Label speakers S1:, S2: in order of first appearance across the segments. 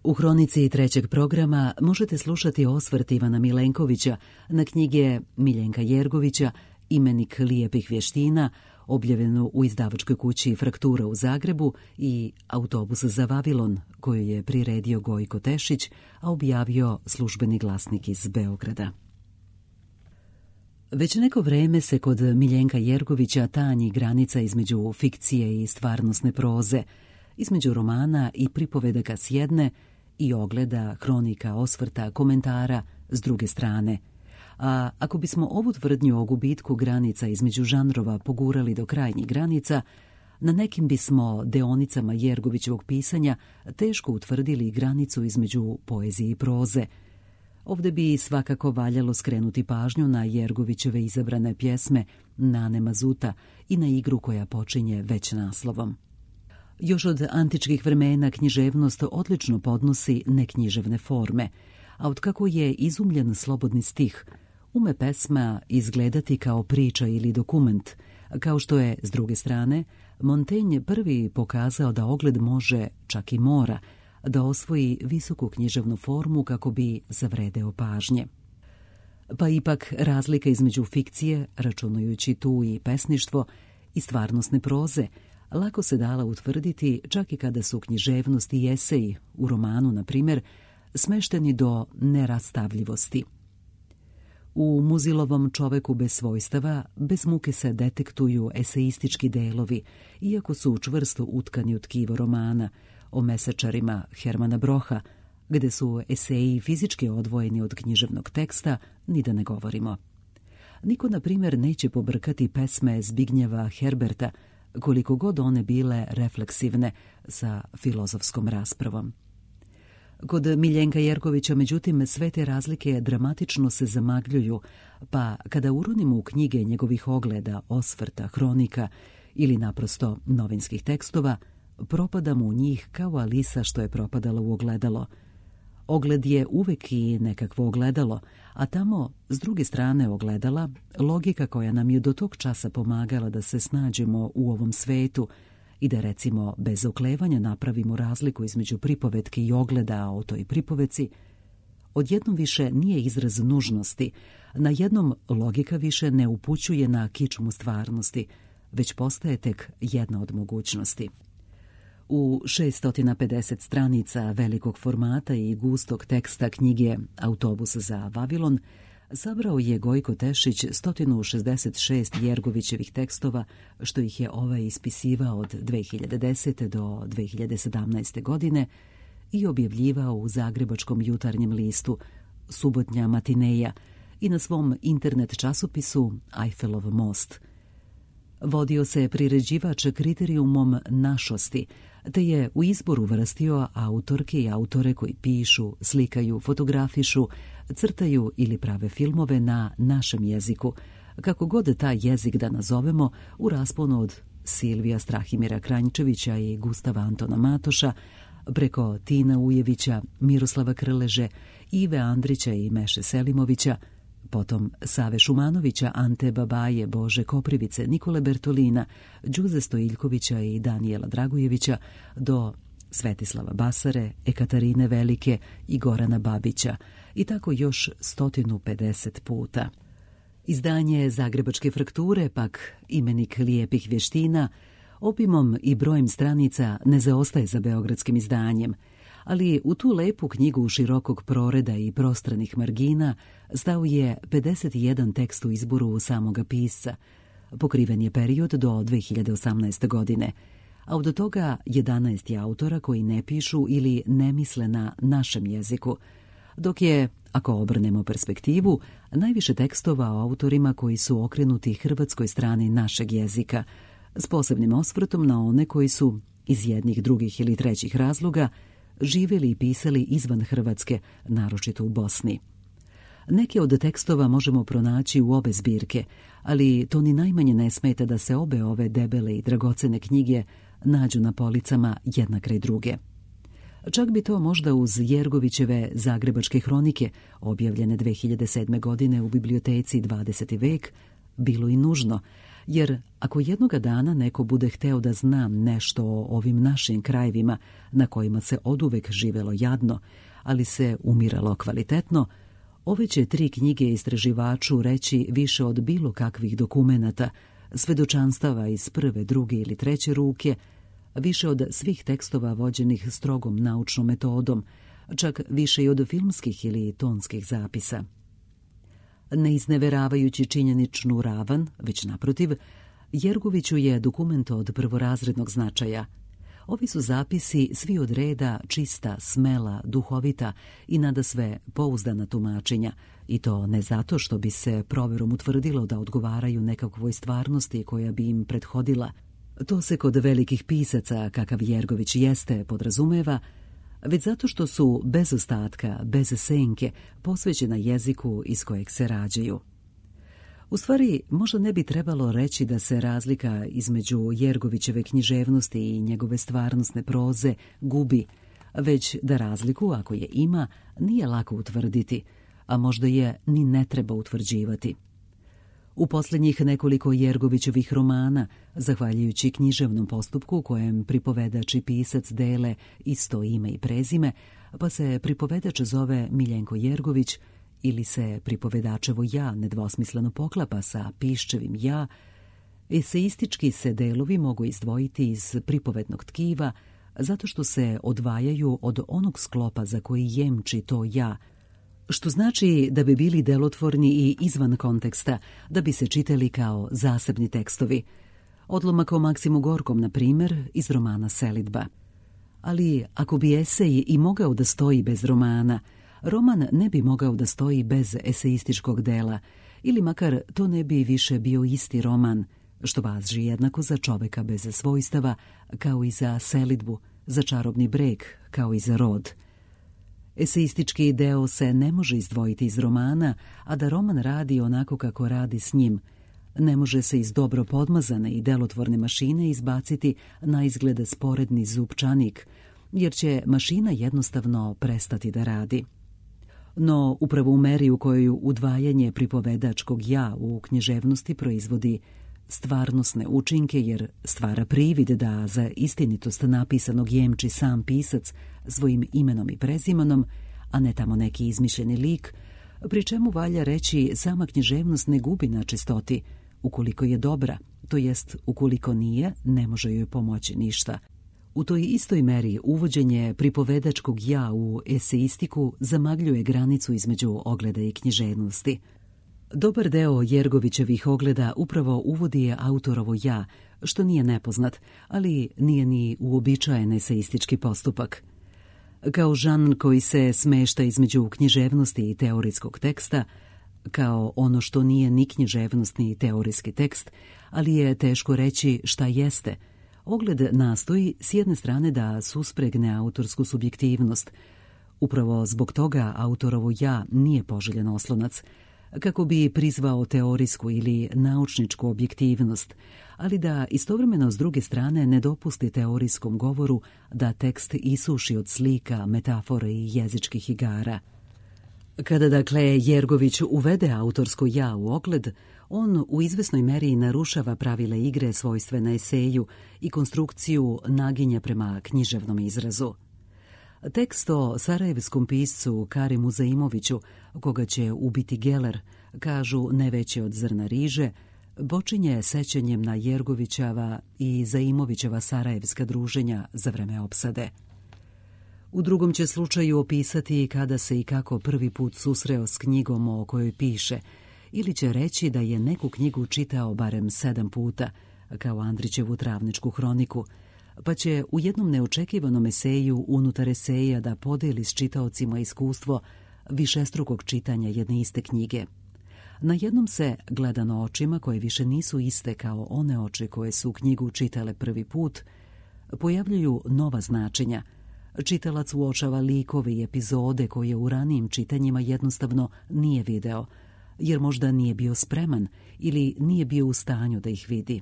S1: U hronici trećeg programa možete slušati osvrt Ivana Milenkovića na knjige Miljenka Jergovića Imenik lijepih vještina, objavljenu u izdavačkoj kući Fraktura u Zagrebu, i Autobus za Vavilon, koju je priredio Gojko Tešić, a objavio Službeni glasnik iz Beograda. Već neko vreme se kod Miljenka Jergovića tanji granica između fikcije i stvarnosne proze, između romana i pripovedaka s jedne i ogleda, hronika, osvrta, komentara s druge strane. A ako bismo ovu tvrdnju o gubitku granica između žanrova pogurali do krajnjih granica, na nekim bismo deonicama Jergovićevog pisanja teško utvrdili granicu između poezije i proze. Ovdje bi svakako valjalo skrenuti pažnju na Jergovićeve izabrane pjesme Nane Mazuta i na igru koja počinje već naslovom. Još od antičkih vremena književnost odlično podnosi neknjiževne forme, a otkako je izumljen slobodni stih, ume pesma izgledati kao priča ili dokument, kao što je, s druge strane, Montaigne prvi pokazao da ogled može, čak i mora, da osvoji visoku književnu formu kako bi zavredeo pažnje. Pa ipak razlika između fikcije, računajući tu i pesništvo, i stvarnosne proze, lako se dala utvrditi čak i kada su književnost i eseji, u romanu na primjer, smešteni do nerastavljivosti. U Muzilovom Čoveku bez svojstava bez muke se detektuju eseistički delovi, iako su čvrsto utkani u tkivo romana, o mesečarima Hermana Broha, gde su eseji fizički odvojeni od književnog teksta, ni da ne govorimo. Niko, na primjer, neće pobrkati pesme Zbignjeva Herberta, koliko god one bile refleksivne, sa filozofskom raspravom. Kod Miljenka Jergovića, međutim, sve te razlike dramatično se zamagljuju, pa kada uronimo u knjige njegovih ogleda, osvrta, hronika ili naprosto novinskih tekstova, propadamo u njih kao Alisa što je propadala u ogledalo. Ogled je uvek i nekakvo ogledalo, a tamo, s druge strane ogledala, logika koja nam je do tog časa pomagala da se snađemo u ovom svetu i da, recimo, bez oklevanja napravimo razliku između pripovetke i ogleda o toj pripovetci, odjednom više nije izraz nužnosti, na jednom logika više ne upućuje na kičmu stvarnosti, već postaje tek jedna od mogućnosti. U 650 stranica velikog formata i gustog teksta knjige Autobus za Vavilon sabrao je Gojko Tešić 166 Jergovićevih tekstova, što ih je ovaj ispisivao od 2010. do 2017. godine i objavljivao u zagrebačkom jutarnjem listu Subotnja matineja i na svom internet časopisu Eiffelov most. Vodio se priređivač kriterijumom našosti, te je u izboru vrstio autorke i autore koji pišu, slikaju, fotografišu, crtaju ili prave filmove na našem jeziku, kako god taj jezik da nazovemo, u rasponu od Silvija Strahimira Kranjčevića i Gustava Antona Matoša, preko Tina Ujevića, Miroslava Krleže, Ive Andrića i Meše Selimovića, potom Save Šumanovića, Ante Babaje, Bože Koprivice, Nikole Bertolina, Đuze Stojiljkovića i Danijela Dragojevića, do Svetislava Basare, Ekaterine Velike i Gorana Babića, i tako još 150 puta. Izdanje Zagrebačke Frakture, pak Imenik lijepih vještina, obimom i brojem stranica ne zaostaje za beogradskim izdanjem, ali u tu lepu knjigu širokog proreda i prostranih margina stao je 51 tekst u izboru samoga pisca. Pokriven je period do 2018. godine, a od toga 11 je autora koji ne pišu ili ne misle na našem jeziku, dok je, ako obrnemo perspektivu, najviše tekstova o autorima koji su okrenuti hrvatskoj strani našeg jezika, s posebnim osvrtom na one koji su, iz jednih, drugih ili trećih razloga, živjeli i pisali izvan Hrvatske, naročito u Bosni. Neke od tekstova možemo pronaći u obe zbirke, ali to ni najmanje ne smeta da se obe ove debele i dragocene knjige nađu na policama jedna kraj druge. Čak bi to možda uz Jergovićeve Zagrebačke hronike, objavljene 2007. godine u biblioteci 20. vek, bilo i nužno, jer ako jednoga dana neko bude hteo da znam nešto o ovim našim krajevima na kojima se oduvek živelo jadno, ali se umiralo kvalitetno, ove će 3 knjige istraživaču reći više od bilo kakvih dokumenata, svedočanstava iz prve, druge ili treće ruke, više od svih tekstova vođenih strogom naučnom metodom, čak više i od filmskih ili tonskih zapisa. Ne izneveravajući činjeničnu ravan, već naprotiv, Jergoviću je dokument od prvorazrednog značaja. Ovi su zapisi svi od reda čista, smela, duhovita i nadasve pouzdana tumačenja, i to ne zato što bi se proverom utvrdilo da odgovaraju nekakvoj stvarnosti koja bi im prethodila. To se kod velikih pisaca, kakav Jergović jeste, podrazumeva, već zato što su bez ostatka, bez senke, posvećena jeziku iz kojeg se rađaju. U stvari, možda ne bi trebalo reći da se razlika između Jergovićeve književnosti i njegove stvarnosne proze gubi, već da razliku, ako je ima, nije lako utvrditi, a možda je ni ne treba utvrđivati. U posljednjih nekoliko Jergovićevih romana, zahvaljujući književnom postupku kojem pripovedač i pisac dele isto ime i prezime, pa se pripovedač zove Miljenko Jergović ili se pripovedačevo ja nedvosmisleno poklapa sa piščevim ja, eseistički se delovi mogu izdvojiti iz pripovednog tkiva zato što se odvajaju od onog sklopa za koji jemči to ja, što znači da bi bili delotvorni i izvan konteksta, da bi se čitali kao zasebni tekstovi. Odlomak o Maksimu Gorkom, na primjer, iz romana Selidba. Ali ako bi esej i mogao da stoji bez romana, roman ne bi mogao da stoji bez eseističkog dela, ili makar to ne bi više bio isti roman, što važi jednako za Čoveka bez svojstava, kao i za Selidbu, za Čarobni breg, kao i za Rod. Eseistički deo se ne može izdvojiti iz romana, a da roman radi onako kako radi s njim. Ne može se iz dobro podmazane i delotvorne mašine izbaciti na izgled sporedni zupčanik, jer će mašina jednostavno prestati da radi. No, upravo u meri u kojoj udvajanje pripovedačkog ja u književnosti proizvodi stvarnosne učinke, jer stvara privid da za istinitost napisanog jemči sam pisac svojim imenom i prezimenom, a ne tamo neki izmišljeni lik, pri čemu valja reći sama književnost ne gubi na čistoti, ukoliko je dobra, to jest ukoliko nije, ne može joj pomoći ništa. U toj istoj meri uvođenje pripovedačkog ja u eseistiku zamagljuje granicu između ogleda i književnosti. Dobar deo Jergovićevih ogleda upravo uvodi je autorovo ja, što nije nepoznat, ali nije ni uobičajen eseistički postupak. Kao žanr koji se smešta između književnosti i teorijskog teksta, kao ono što nije ni književnost ni teorijski tekst, ali je teško reći šta jeste, ogled nastoji s jedne strane da suspregne autorsku subjektivnost. Upravo zbog toga autorovo ja nije poželjen oslonac, kako bi prizvao teorijsku ili naučničku objektivnost, ali da istovremeno s druge strane ne dopusti teorijskom govoru da tekst isuši od slika, metafore i jezičkih igara. Kada dakle Jergović uvede autorsko ja u ogled, on u izvesnoj meri narušava pravile igre svojstvene eseju i konstrukciju naginja prema književnom izrazu. Tekst o sarajevskom piscu Karimu Zaimoviću, koga će ubiti Geller, kažu ne veće od zrna riže, počinje sećanjem na Jergovićeva i Zaimovićeva sarajevska druženja za vreme opsade. U drugom će slučaju opisati kada se i kako prvi put susreo s knjigom o kojoj piše, ili će reći da je neku knjigu čitao barem 7 puta, kao Andrićevu Travničku hroniku, pa će u jednom neočekivanom eseju unutar eseja da podeli s čitaocima iskustvo višestrukog čitanja jedne iste knjige. Na jednom se, gledano očima koje više nisu iste kao one oči koje su knjigu čitale prvi put, pojavljuju nova značenja. Čitalac uočava likove i epizode koje u ranijim čitanjima jednostavno nije video, jer možda nije bio spreman ili nije bio u stanju da ih vidi.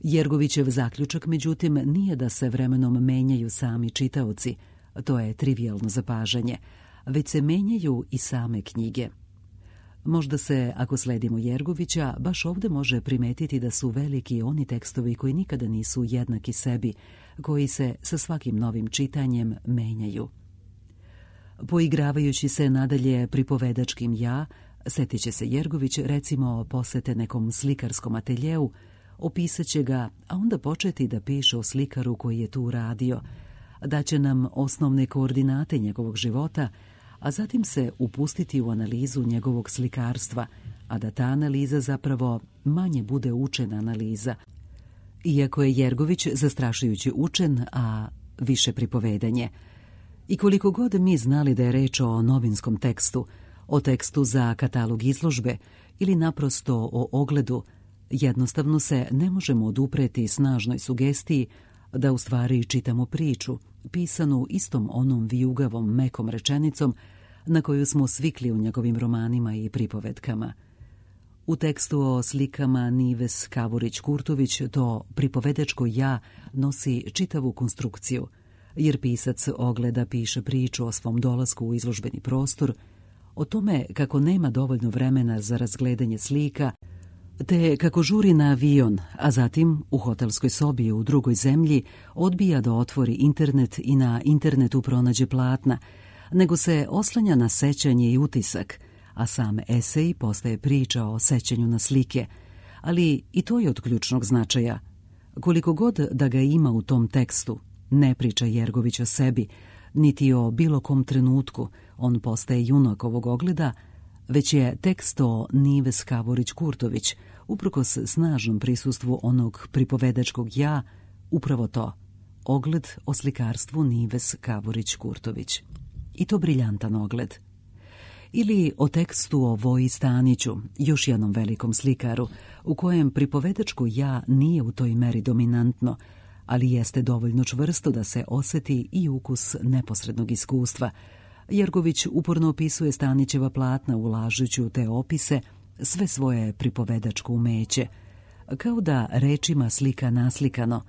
S1: Jergovićev zaključak, međutim, nije da se vremenom menjaju sami čitaoci, to je trivijalno zapažanje, već se menjaju i same knjige. Možda se, ako sledimo Jergovića, baš ovdje može primetiti da su veliki oni tekstovi koji nikada nisu jednaki sebi, koji se sa svakim novim čitanjem menjaju. Poigravajući se nadalje pripovedačkim ja, setit će se Jergović recimo posete nekom slikarskom ateljeu, opisat će ga, a onda početi da piše o slikaru koji je tu radio, daće nam osnovne koordinate njegovog života, a zatim se upustiti u analizu njegovog slikarstva, a da ta analiza zapravo manje bude učena analiza. Iako je Jergović zastrašujući učen, a više pripovedanje. I koliko god mi znali da je reč o novinskom tekstu, o tekstu za katalog izložbe ili naprosto o ogledu, jednostavno se ne možemo odupreti snažnoj sugestiji da u stvari čitamo priču, pisanu istom onom vijugavom mekom rečenicom na koju smo svikli u njegovim romanima i pripovetkama. U tekstu o slikama Nives Kavurić-Kurtović to pripovedačko ja nosi čitavu konstrukciju, jer pisac ogleda piše priču o svom dolasku u izložbeni prostor, o tome kako nema dovoljno vremena za razgledanje slika, te kako žuri na avion, a zatim u hotelskoj sobi u drugoj zemlji odbija da otvori internet i na internetu pronađe platna, nego se oslanja na sećanje i utisak, a sam esej postaje priča o sećanju na slike, ali i to je od ključnog značaja. Koliko god da ga ima u tom tekstu, ne priča Jergović o sebi, niti o bilo kom trenutku, on postaje junak ovog ogleda, već je tekst o Nives Kavurić-Kurtović, uprkos snažnom prisustvu onog pripovedačkog ja, upravo to, ogled o slikarstvu Nives Kavurić-Kurtović. I to briljantan ogled. Ili o tekstu o Voji Staniću, još jednom velikom slikaru, u kojem pripovedačko ja nije u toj meri dominantno, ali jeste dovoljno čvrsto da se osjeti i ukus neposrednog iskustva. Jergović uporno opisuje Stanićeva platna ulažući u te opise sve svoje pripovedačko umeće, kao da rečima slika naslikano,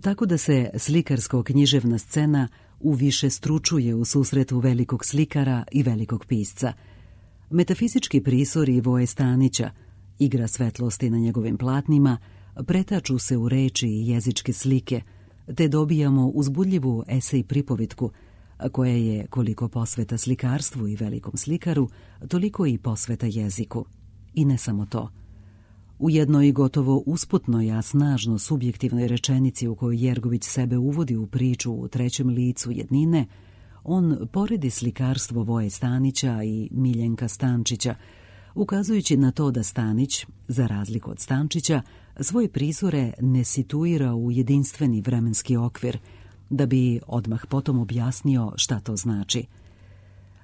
S1: tako da se slikarsko-književna scena uviše stručuje u susretu velikog slikara i velikog pisca. Metafizički prisori Voje Stanića, igra svetlosti na njegovim platnima, pretaču se u reči i jezičke slike, te dobijamo uzbudljivu esej pripovitku, koja je koliko posveta slikarstvu i velikom slikaru, toliko i posveta jeziku. I ne samo to. U jednoj gotovo usputnoj, a snažno subjektivnoj rečenici u kojoj Jergović sebe uvodi u priču u trećem licu jednine, on poredi slikarstvo Voje Stanića i Miljenka Stančića, ukazujući na to da Stanić, za razliku od Stančića, svoje prizore ne situira u jedinstveni vremenski okvir, da bi odmah potom objasnio šta to znači.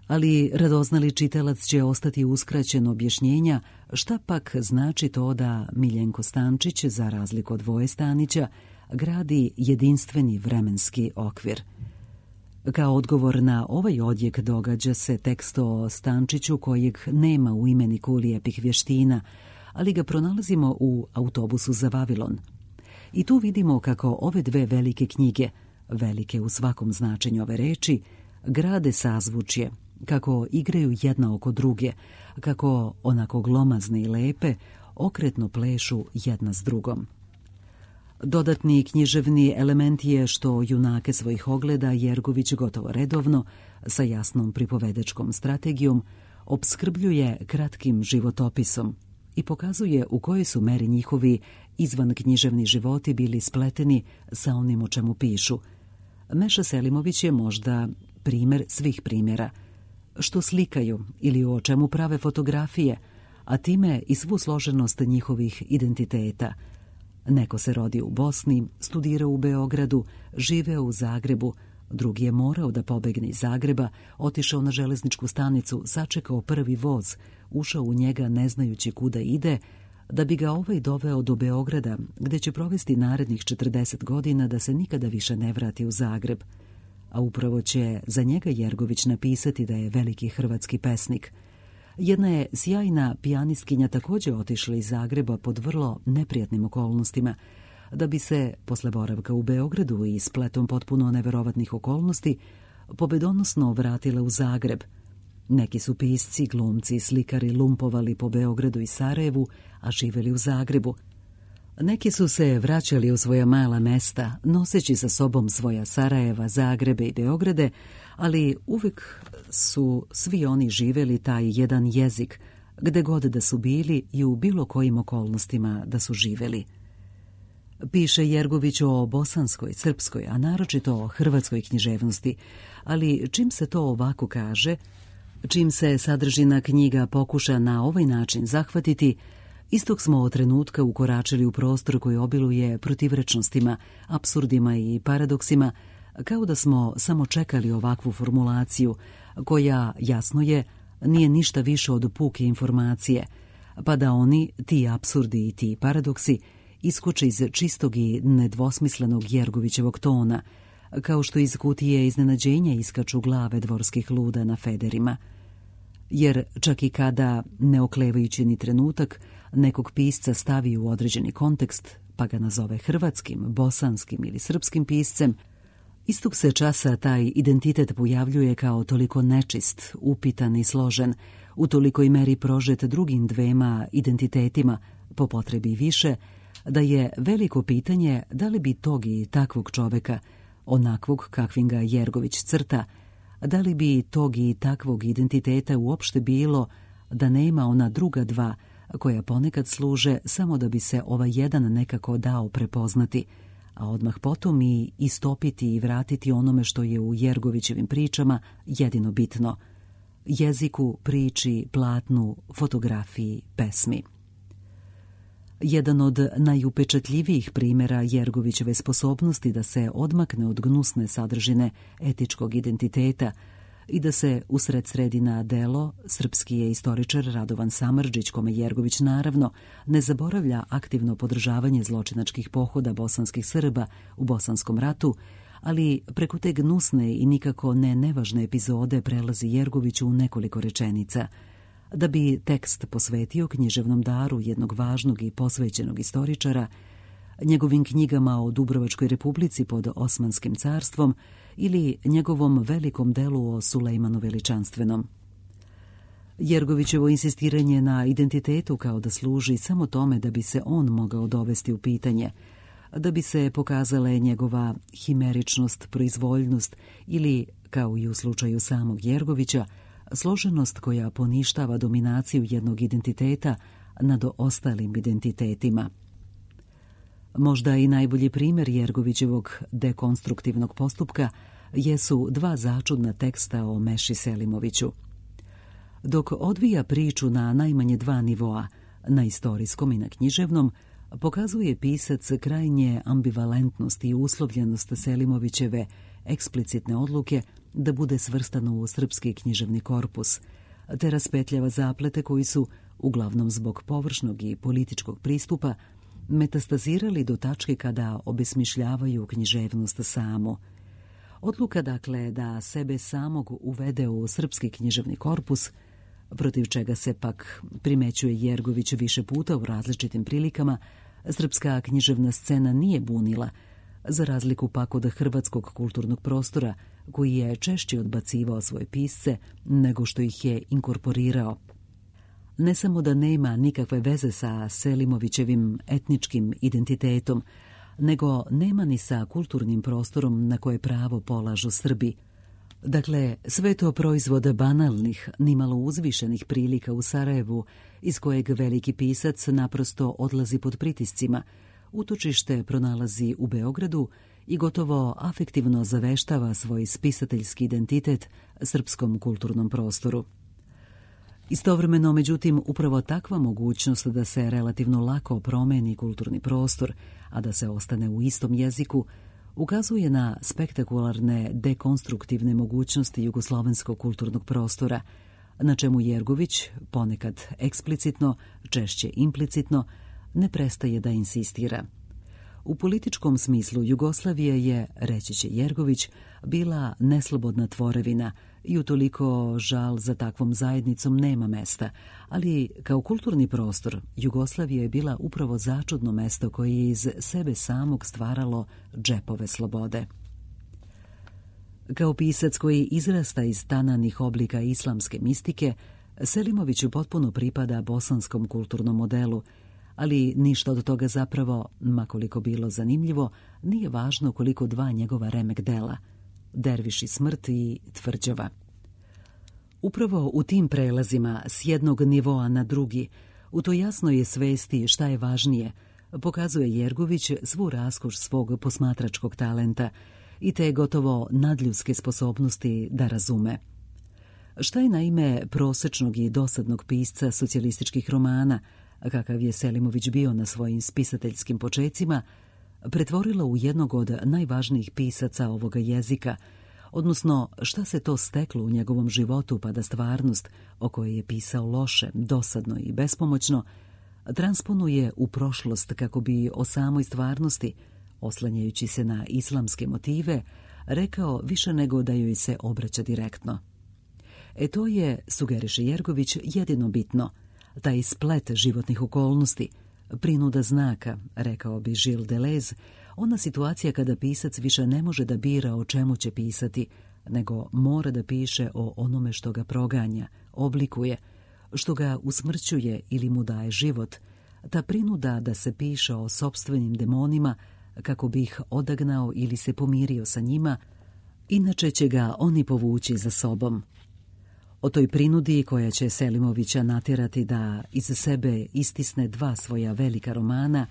S1: Ali radoznali čitalac će ostati uskraćen objašnjenja šta pak znači to da Miljenko Stančić, za razliku od Voje Stanića, gradi jedinstveni vremenski okvir. Kao odgovor na ovaj odjek događa se tekst o Stančiću kojeg nema u imeniku lijepih vještina, ali ga pronalazimo u Autobusu za Vavilon. I tu vidimo kako ove dve velike knjige, velike u svakom značenju ove reči, grade sazvučje, kako igraju jedna oko druge, kako onako glomazne i lepe okretno plešu jedna s drugom. Dodatni književni element je što junake svojih ogleda Jergović gotovo redovno, sa jasnom pripovedačkom strategijom, opskrbljuje kratkim životopisom i pokazuje u kojoj su meri njihovi izvanknjiževni životi bili spleteni sa onim o čemu pišu. Meša Selimović je možda primjer svih primjera, što slikaju ili o čemu prave fotografije, a time i svu složenost njihovih identiteta. Neko se rodi u Bosni, studirao u Beogradu, živeo u Zagrebu, drugi je morao da pobegne iz Zagreba, otišao na železničku stanicu, sačekao prvi voz, ušao u njega ne znajući kuda ide, da bi ga ovaj doveo do Beograda, gde će provesti narednih 40 godina da se nikada više ne vrati u Zagreb. A upravo će za njega Jergović napisati da je veliki hrvatski pesnik. Jedna je sjajna pijanistkinja također otišla iz Zagreba pod vrlo neprijatnim okolnostima, da bi se, posle boravka u Beogradu i spletom potpuno neverovatnih okolnosti, pobedonosno vratila u Zagreb. Neki su pisci, glumci i slikari lumpovali po Beogradu i Sarajevu, a živeli u Zagrebu. Neki su se vraćali u svoja mala mesta, noseći sa sobom svoja Sarajeva, Zagrebe i Beograde, ali uvijek su svi oni živeli taj jedan jezik, gde god da su bili i u bilo kojim okolnostima da su živeli. Piše Jergović o bosanskoj, srpskoj, a naročito o hrvatskoj književnosti, ali čim se to ovako kaže, čim se sadržina knjiga pokuša na ovaj način zahvatiti, istog smo od trenutka ukoračili u prostor koji obiluje protivrečnostima, apsurdima i paradoksima, kao da smo samo čekali ovakvu formulaciju, koja, jasno je, nije ništa više od puke informacije, pa da oni, ti apsurdi i ti paradoksi, iskoče iz čistog i nedvosmislenog Jergovićevog tona, kao što iz kutije iznenađenja iskaču glave dvorskih luda na federima. Jer čak i kada, ne oklevajući ni trenutak, nekog pisca stavi u određeni kontekst, pa ga nazove hrvatskim, bosanskim ili srpskim piscem, istog se časa taj identitet pojavljuje kao toliko nečist, upitan i složen, u tolikoj meri prožet drugim dvema identitetima, po potrebi više, da je veliko pitanje da li bi tog i takvog čoveka, onakvog kakvim ga Jergović crta, da li bi tog i takvog identiteta uopšte bilo da nema ona druga dva, koja ponekad služe samo da bi se ovaj jedan nekako dao prepoznati, a odmah potom i istopiti i vratiti onome što je u Jergovićevim pričama jedino bitno – jeziku, priči, platnu, fotografiji, pesmi. Jedan od najupečatljivijih primjera Jergovićeve sposobnosti da se odmakne od gnusne sadržine etičkog identiteta i da se usred sredi na delo, srpski je istoričar Radovan Samardžić, kome Jergović naravno ne zaboravlja aktivno podržavanje zločinačkih pohoda bosanskih Srba u Bosanskom ratu, ali preko te gnusne i nikako ne nevažne epizode prelazi Jergović u nekoliko rečenica, da bi tekst posvetio književnom daru jednog važnog i posvećenog istoričara, njegovim knjigama o Dubrovačkoj republici pod Osmanskim carstvom ili njegovom velikom delu o Sulejmanu Veličanstvenom. Jergovićevo insistiranje na identitetu kao da služi samo tome da bi se on mogao dovesti u pitanje, da bi se pokazale njegova himeričnost, proizvoljnost ili, kao i u slučaju samog Jergovića, složenost koja poništava dominaciju jednog identiteta nad ostalim identitetima. Možda i najbolji primjer Jergovićevog dekonstruktivnog postupka jesu dva začudna teksta o Meši Selimoviću. Dok odvija priču na najmanje dva nivoa, na istorijskom i na književnom, pokazuje pisac krajnje ambivalentnost i uslovljenost Selimovićeve eksplicitne odluke da bude svrstano u srpski književni korpus, te raspetljava zaplete koji su, uglavnom zbog površnog i političkog pristupa, metastazirali do tačke kada obesmišljavaju književnost samu. Odluka, dakle, da sebe samog uvede u srpski književni korpus, protiv čega se pak primećuje Jergović više puta u različitim prilikama, srpska književna scena nije bunila, za razliku pak od hrvatskog kulturnog prostora, koji je češće odbacivao svoje pisce nego što ih je inkorporirao. Ne samo da nema nikakve veze sa Selimovićevim etničkim identitetom, nego nema ni sa kulturnim prostorom na koje pravo polažu Srbi. Dakle, sve to proizvod banalnih, nimalo uzvišenih prilika u Sarajevu, iz kojeg veliki pisac naprosto odlazi pod pritiscima, utočište pronalazi u Beogradu i gotovo afektivno zaveštava svoj spisateljski identitet srpskom kulturnom prostoru. Istovremeno, međutim, upravo takva mogućnost da se relativno lako promeni kulturni prostor, a da se ostane u istom jeziku, ukazuje na spektakularne dekonstruktivne mogućnosti jugoslovenskog kulturnog prostora, na čemu Jergović, ponekad eksplicitno, češće implicitno, ne prestaje da insistira. U političkom smislu Jugoslavija je, reći će Jergović, bila neslobodna tvorevina i utoliko žal za takvom zajednicom nema mesta, ali kao kulturni prostor Jugoslavija je bila upravo začudno mesto koje je iz sebe samog stvaralo džepove slobode. Kao pisac koji izrasta iz tananih oblika islamske mistike, Selimović potpuno pripada bosanskom kulturnom modelu, ali ništa od toga zapravo, makoliko bilo zanimljivo, nije važno koliko dva njegova remek dela, Derviš i smrt i Tvrđava. Upravo u tim prelazima s jednog nivoa na drugi, u to jasnoj svesti šta je važnije, pokazuje Jergović svu raskoš svog posmatračkog talenta i te gotovo nadljudske sposobnosti da razume. Šta je naime prosečnog i dosadnog pisca socijalističkih romana, kakav je Selimović bio na svojim spisateljskim počecima, pretvorilo u jednog od najvažnijih pisaca ovoga jezika, odnosno šta se to steklo u njegovom životu pa da stvarnost, o kojoj je pisao loše, dosadno i bespomoćno, transponuje u prošlost kako bi o samoj stvarnosti, oslanjajući se na islamske motive, rekao više nego da joj se obraća direktno. To je, sugeriše Jergović, jedino bitno, taj splet životnih okolnosti, prinuda znaka, rekao bi Gilles Deleuze, ona situacija kada pisac više ne može da bira o čemu će pisati, nego mora da piše o onome što ga proganja, oblikuje, što ga usmrćuje ili mu daje život, ta prinuda da se piše o sopstvenim demonima kako bi ih odagnao ili se pomirio sa njima, inače će ga oni povući za sobom. O toj prinudi koja će Selimovića natjerati da iz sebe istisne dva svoja velika romana,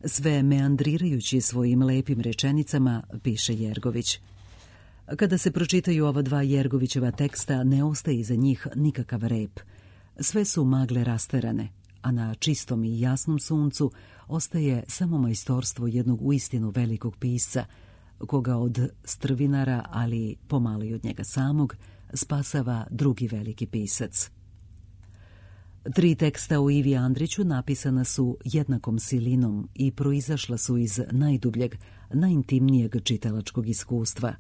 S1: sve meandrirajući svojim lepim rečenicama, piše Jergović. Kada se pročitaju ova dva Jergovićeva teksta, ne ostaje iza njih nikakav rep. Sve su magle rasterane, a na čistom i jasnom suncu ostaje samo majstorstvo jednog uistinu velikog pisca, koga od strvinara, ali pomalo i od njega samog, spasava drugi veliki pisac. 3 teksta o Ivi Andriću napisana su jednakom silinom i proizašla su iz najdubljeg, najintimnijeg čitalačkog iskustva.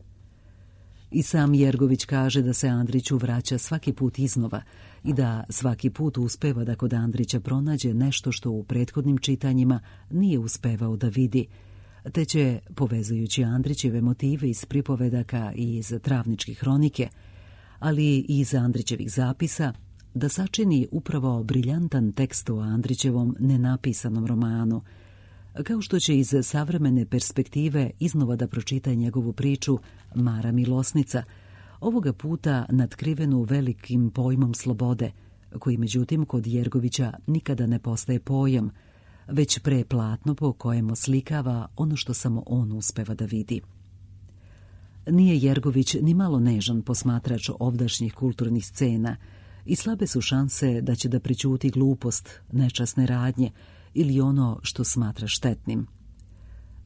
S1: I sam Jergović kaže da se Andriću vraća svaki put iznova i da svaki put uspeva da kod Andrića pronađe nešto što u prethodnim čitanjima nije uspevao da vidi, te će, povezujući Andrićeve motive iz pripovedaka i iz Travničke hronike, ali i iz Andrićevih zapisa, da sačini upravo briljantan tekst o Andrićevom nenapisanom romanu, kao što će iz savremene perspektive iznova da pročita njegovu priču Mara Milosnica, ovoga puta natkrivenu velikim pojmom slobode, koji međutim kod Jergovića nikada ne postaje pojam, već preplatno po kojem oslikava ono što samo on uspeva da vidi. Nije Jergović ni malo nežan posmatrač ovdašnjih kulturnih scena i slabe su šanse da će da prećuti glupost, nečasne radnje ili ono što smatra štetnim.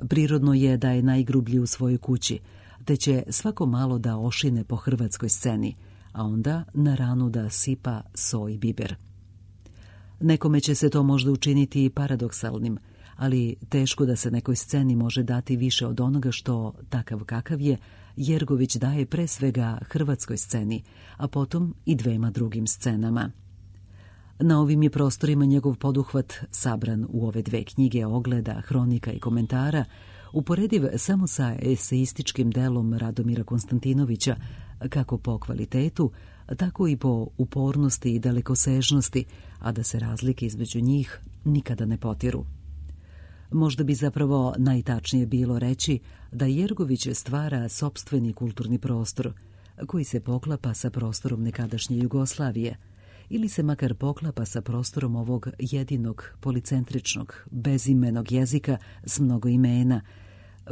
S1: Prirodno je da je najgrublji u svojoj kući, te će svako malo da ošine po hrvatskoj sceni, a onda na ranu da sipa so i biber. Nekome će se to možda učiniti paradoksalnim, ali teško da se nekoj sceni može dati više od onoga što, takav kakav je, Jergović daje pre svega hrvatskoj sceni, a potom i 2 drugim scenama. Na ovim je prostorima njegov poduhvat, sabran u ove 2 knjige ogleda, hronika i komentara, uporediv samo sa eseističkim delom Radomira Konstantinovića, kako po kvalitetu, tako i po upornosti i dalekosežnosti, a da se razlike između njih nikada ne potiru. Možda bi zapravo najtačnije bilo reći da Jergović stvara sopstveni kulturni prostor, koji se poklapa sa prostorom nekadašnje Jugoslavije, ili se makar poklapa sa prostorom ovog jedinog, policentričnog, bezimenog jezika s mnogo imena,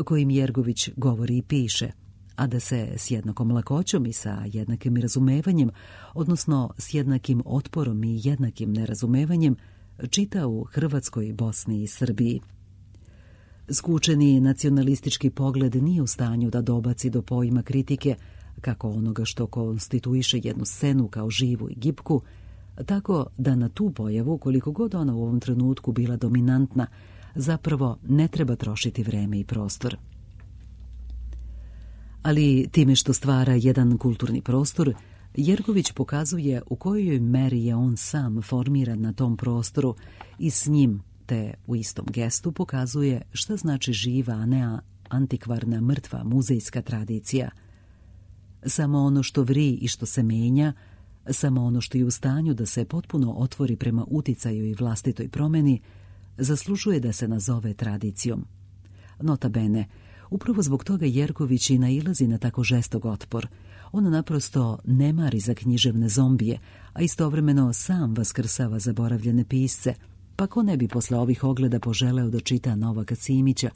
S1: kojim Jergović govori i piše, a da se s jednakom lakoćom i sa jednakim razumevanjem, odnosno s jednakim otporom i jednakim nerazumevanjem, čita u Hrvatskoj, Bosni i Srbiji. Skučeni nacionalistički pogled nije u stanju da dobaci do pojma kritike, kako onoga što konstituiše jednu scenu kao živu i gibku, tako da na tu pojavu, koliko god ona u ovom trenutku bila dominantna, zapravo ne treba trošiti vreme i prostor. Ali time što stvara jedan kulturni prostor, Jergović pokazuje u kojoj meri je on sam formiran na tom prostoru i s njim, te u istom gestu pokazuje šta znači živa, a ne antikvarna, mrtva muzejska tradicija. Samo ono što vri i što se menja, samo ono što je u stanju da se potpuno otvori prema uticaju i vlastitoj promeni, zaslužuje da se nazove tradicijom. Nota bene, upravo zbog toga Jerković i nailazi na tako žestok otpor. On naprosto ne mari za književne zombije, a istovremeno sam vaskrsava zaboravljene pisce, pa ko ne bi posle ovih ogleda poželeo da čita Novaka Simića,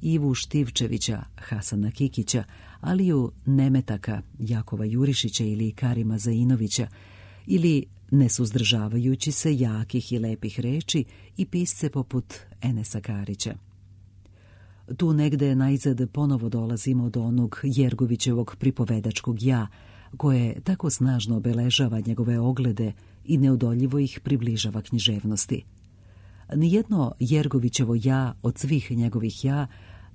S1: Ivu Štivčevića, Hasana Kikića, Aliju Nemetaka, Jakova Jurišića ili Karima Zainovića, ili, nesuzdržavajući se jakih i lepih reči, i pisce poput Enesa Karića. Tu negde najzad ponovo dolazimo do onog Jergovićevog pripovedačkog ja, koje tako snažno obeležava njegove oglede i neodoljivo ih približava književnosti. Nijedno Jergovićevo ja od svih njegovih ja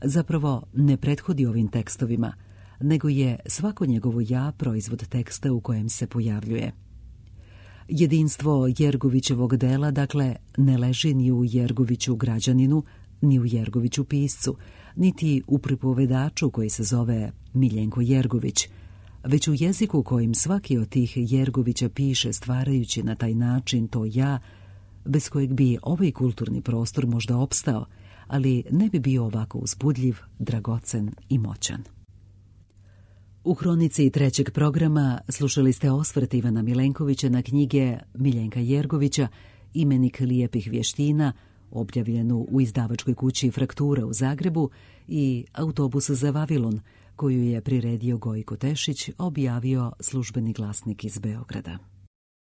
S1: zapravo ne prethodi ovim tekstovima, nego je svako njegovo ja proizvod teksta u kojem se pojavljuje. Jedinstvo Jergovićevog dela, dakle, ne leži ni u Jergoviću građaninu, ni u Jergoviću piscu, niti u pripovedaču koji se zove Miljenko Jergović, već u jeziku kojim svaki od tih Jergovića piše, stvarajući na taj način to ja, bez kojeg bi ovaj kulturni prostor možda opstao, ali ne bi bio ovako uzbudljiv, dragocen i moćan. U hronici trećeg programa slušali ste osvrt Ivana Milenkovića na knjige Miljenka Jergovića Imenik lijepih vještina, objavljenu u izdavačkoj kući Fraktura u Zagrebu, i Autobus za Vavilon, koju je priredio Gojko Tešić, objavio Službeni glasnik iz Beograda.